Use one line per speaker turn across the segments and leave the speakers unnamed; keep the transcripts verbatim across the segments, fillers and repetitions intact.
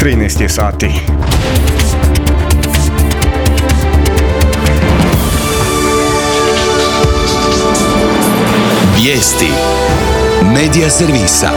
trinaest je sati.
Vijesti Medija servisa.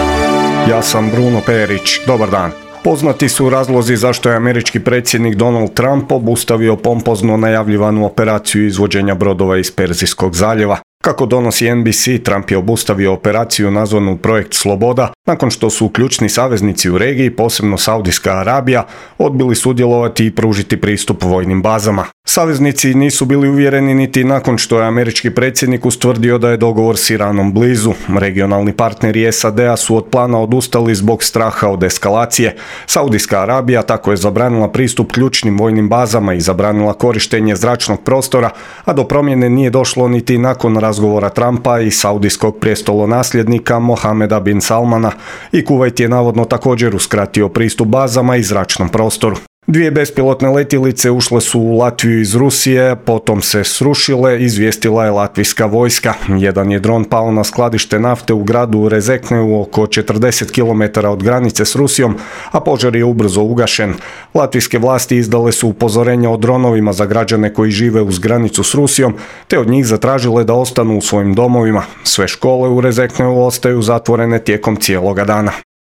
Ja sam Bruno Perić. Dobar dan. Poznati su razlozi zašto je američki predsjednik Donald Trump obustavio pompozno najavljivanu operaciju izvođenja brodova iz Perzijskog zaljeva. Kako donosi N B C, Trump je obustavio operaciju nazvanu Projekt Sloboda nakon što su ključni saveznici u regiji, posebno Saudijska Arabija, odbili sudjelovati i pružiti pristup vojnim bazama. Saveznici nisu bili uvjereni niti nakon što je američki predsjednik ustvrdio da je dogovor s Iranom blizu. Regionalni partneri S A D-a su od plana odustali zbog straha od eskalacije. Saudijska Arabija tako je zabranila pristup ključnim vojnim bazama i zabranila korištenje zračnog prostora, a do promjene nije došlo niti nakon razgovora Trumpa i saudijskog prijestolonasljednika Mohameda bin Salmana, i Kuvajt je navodno također uskratio pristup bazama i zračnom prostoru. Dvije bespilotne letjelice ušle su u Latviju iz Rusije, potom se srušile, izvijestila je latvijska vojska. Jedan je dron pao na skladište nafte u gradu Rezekneu oko četrdeset kilometara od granice s Rusijom, a požar je ubrzo ugašen. Latvijske vlasti izdale su upozorenja o dronovima za građane koji žive uz granicu s Rusijom, te od njih zatražile da ostanu u svojim domovima. Sve škole u Rezekneu ostaju zatvorene tijekom cijeloga dana.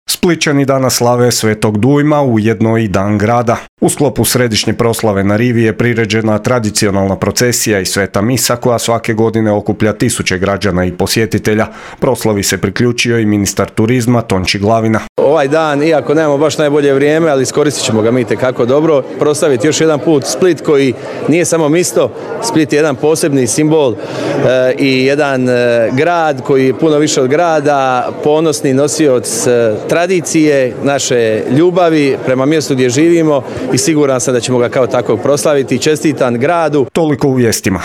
Splićani danas slave Svetog Dujma, ujedno i Dan grada. U sklopu središnje proslave na rivi je priređena tradicionalna procesija i sveta misa koja svake godine okuplja tisuće građana i posjetitelja. Proslavi se priključio i ministar turizma Tonči Glavina.
Ovaj dan, iako nemamo baš najbolje vrijeme, ali iskoristit ćemo ga mi itekako dobro, proslaviti još jedan put Split koji nije samo mjesto. Split je jedan posebni simbol e, i jedan e, grad koji je puno više od grada, ponosni nosioc e, tradicije, naše ljubavi prema mjestu gdje živimo i siguran sam da ćemo ga kao takvog proslaviti. Čestitam gradu.
Toliko u vijestima.